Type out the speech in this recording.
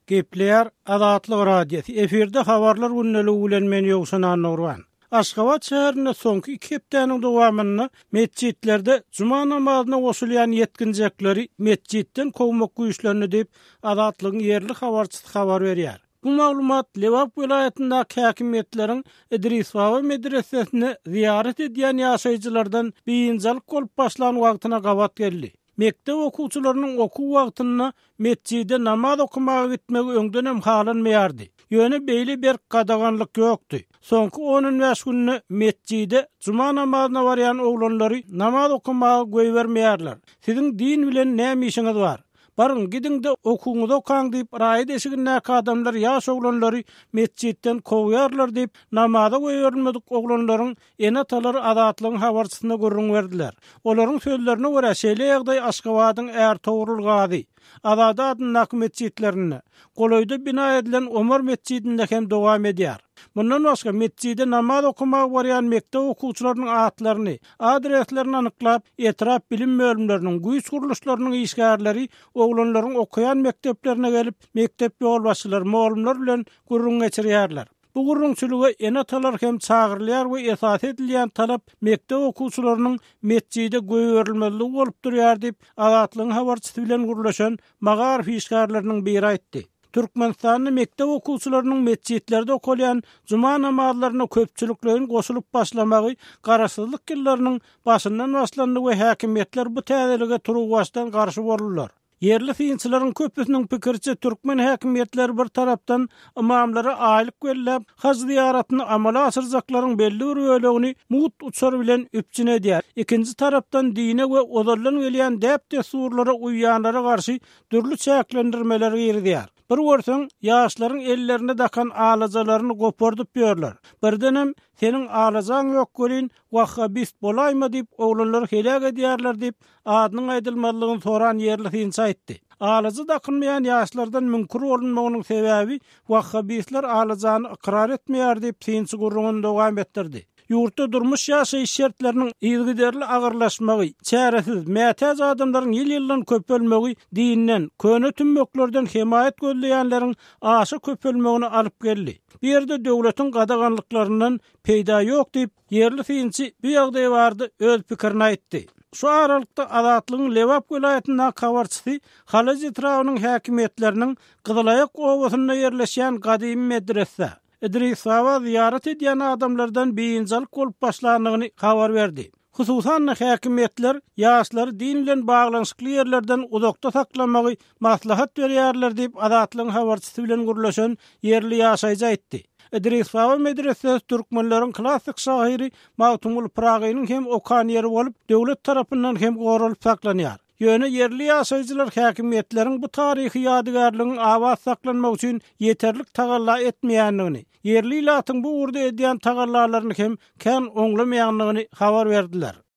Gepleýär Azatlyk Radiosy, efirde Habarlar gündeligi bilen men Ýowşan Annagurban. Aşgabat şäherinde soňky iki hepdäniň dowamynda metjitlerde juma namazyna goşulýan ýetginjekleri metjitden kowmak güýçlendi diýip, Azatlygyň ýerli habarçysy habar berýär. Bu maglumat Lebap welaýatyndaky häkimiýetleriň Idrisbaba medresesine zyýarat edýän ýaşaýjylardan biynjalyk bolup başlan wagtyna gabat geldi. Mekdep okuwçylarynyň okuw wagtynda metjide namaz okamaga gitmegi öňdenem halanmaýardy. Ýöne beýle berk gadaganlyk ýokdy. Soňky on-on bäş günde metjide juma namazyna barýan oglanlary namaz okamaga goýbermeýärler. Siziň din bilen näme işiňiz bar? Baryň, gidiň-de okuwyňyzy okaň diýip, raýat eşigindäki adamlar ýaş oglanlary metjitden kowýarlar diýip, namaza goýberilmedik oglanlaryň Ene-atalary Azatlygyň habarçysyna gürrüň berdiler. Olaryň sözlerine görä, şeýle ýagdaý Aşgabadyň Ärtogrul Gazy, Azady adyndaky metjitlerinde, golaýda bina edilen Omar metjidinde hem dowam edýär. Mundan başga, metjide namaz okamaga barýan mekdep okuwçylarynyň atlaryny, adreslerini anyklap, etrap bilim bölümleriniň, güýç gurluşlarynyň işgärleri oglanlaryň okaýan mekdeplerine gelip, mekdep ýolbaşçylary, mugallymlar bilen gürrüň geçirýärler. Bu gürrüňçilige ene-atalar hem çagyrylýar we esasy edilýän talap mekdep okuwçylarynyň metjide goýberilmezligi bolup durýar diýip, Azatlygyň habarçysy bilen gürleşen magaryf işgärleriniň biri aýtdy. Türkmenistanda mekdep okuwçylarynyň metjitlerde okalýan juma namazlaryna köpçülikleýin goşulyp başlamagy garaşsyzlyk ýyllarynyň başyndan başlandy we häkimiýetler bu täzelige turuwbaşdan garşy boldular. Ýerli synçylaryň köpüsiniň pikiriçe, türkmen häkimiýetleri bir tarapdan ymamlara aýlyk belläp, haj zyýaratyny amala aşyrjaklaryň belli bir bölegini mugt uçar bilen üpjün edýär, ikinji tarapdan dine we ozaldan gelýän däp-dessurlara uýýanlara garşy dürli çäklendirmeleri girizýär. Bir görseň, ýaşlaryň ellerine dakan alajalaryny gopardyp ýörler. Birdenem, seniň alajaň ýok welin, wahhabist bolaýma diýip, oglanlary heläk edýärler diýip, adynyň aýdylmazlygyny soran ýerli synçy aýtdy. Alaja dakynmaýan ýaşlardan müňkür bolunmagynyň sebäbi wahhabistler alajany ykrar etmeýär diýip, synçy gürrüňini dowam etdirdi. Ýurtda durmuş-ýaşaýyş şertleriniň yzygiderli agyrlaşmagy, çäresiz, mätäç adamlaryň ýyl-ýyldan köpelmegi dinden, köne tümmeklerden hemaýat gözleýänleriň aşa köpelmegine alyp geldi. Bu ýerde döwletiň gadaganlyklaryndan peýda ýok diýip, Ýerli synçy bu ýagdaý barada öz pikirini aýtdy. Şu aralykda, Azatlygyň Lebap welaýatyndaky habarçysy Halaç etrabynyň häkimiýetleriniň Gyzylaýak obasynda ýerleşýän gadymy medresä, Idrisbaba zyýarat edýän adamlardan biynjalyk bolup başlandygyny habar berdi. Hususan-da, häkimiýetler ýaşlary din bilen baglanyşykly ýerlerden uzakda saklamagy maslahat berýärler diýip, Azatlygyň habarçysy bilen gürleşen ýerli ýaşaýjy aýtdy. Idrisbaba medresesi türkmenleriň klassyk şahyry Magtymguly Pyragynyň hem okan ýeri bolup, döwlet tarapyndan hem goralyp saklanýar. Ýöne ýerli ýaşaýjylar häkimiýetleriň bu taryhy ýadygärligiň abat saklanmagy üçin ýeterlik tagalla etmeýändigini, ýerli ilatyň bu ugurda edýän tagallalaryny hem kän oňlamaýandygyny habar berdiler.